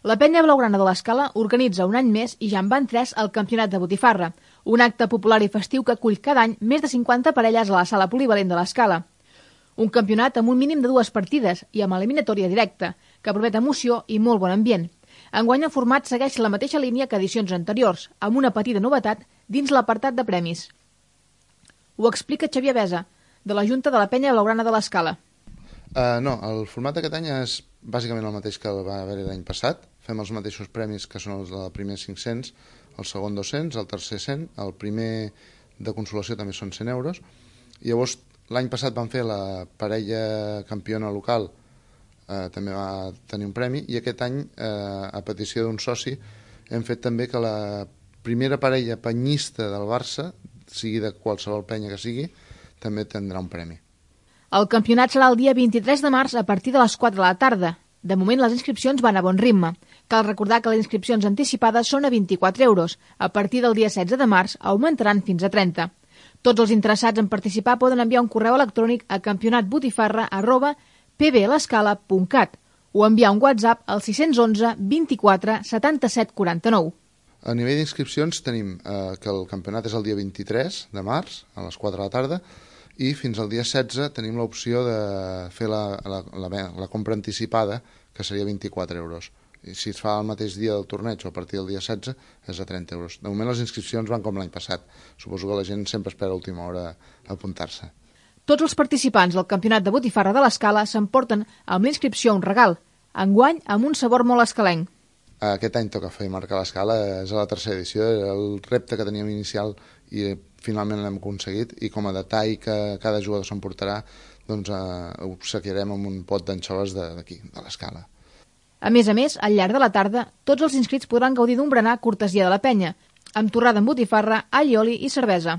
La Penya Blaugrana de l'Escala organitza un any més i ja en van 3 el Campionat de Botifarra, un acte popular i festiu que acull cada any més de 50 parelles a la sala polivalent de l'Escala. Un campionat amb un mínim de 2 partides i amb eliminatòria directa, que promet emoció i molt bon ambient. Enguany el format segueix la mateixa línia que edicions anteriors, amb una petita novetat dins l'apartat de premis. Ho explica Xavier Besa, de la Junta de la Penya Blaugrana de l'Escala. No, el format d'aquest any és bàsicament el mateix que va haver l'any passat. Fem els mateixos premis que són els del primer 500, el segon 200, el tercer 100, el primer de consolació també són 100 euros. I llavors l'any passat van fer la parella campiona local, també va tenir un premi, i aquest any, a petició d'un soci, hem fet també que la primera parella penyista del Barça, sigui de qualsevol penya que sigui, també tindrà un premi. El campionat serà el dia 23 de març a partir de les 4 de la tarda. De moment les inscripcions van a bon ritme. Cal recordar que les inscripcions anticipades són a 24 euros. A partir del dia 16 de març augmentaran fins a 30. Tots els interessats en participar poden enviar un correu electrònic a campionatbotifarra@pblescala.cat o enviar un WhatsApp al 611 24 77 49. A nivell d'inscripcions tenim que el campionat és el dia 23 de març, a les 4 de la tarda, i fins al dia 16 tenim l'opció de fer la compra anticipada, que seria 24 euros. I si es fa el mateix dia del torneig o a partir del dia 16 és a 30 euros. De moment les inscripcions van com l'any passat. Suposo que la gent sempre espera a última hora a apuntar-se. Tots els participants del Campionat de Botifarra de l'Escala s'emporten amb l'inscripció un regal, enguany amb un sabor molt escalenc. Aquest any toca fer marcar l'escala, és a la tercera edició, era el repte que teníem inicial i finalment l'hem aconseguit, i com a detall que cada jugador s'emportarà, doncs obsequiarem amb un pot d'anxoves d'aquí, de l'Escala. A més, al llarg de la tarda, tots els inscrits podran gaudir d'un berenar cortesia de la penya, amb torrada amb botifarra, all i oli i cervesa.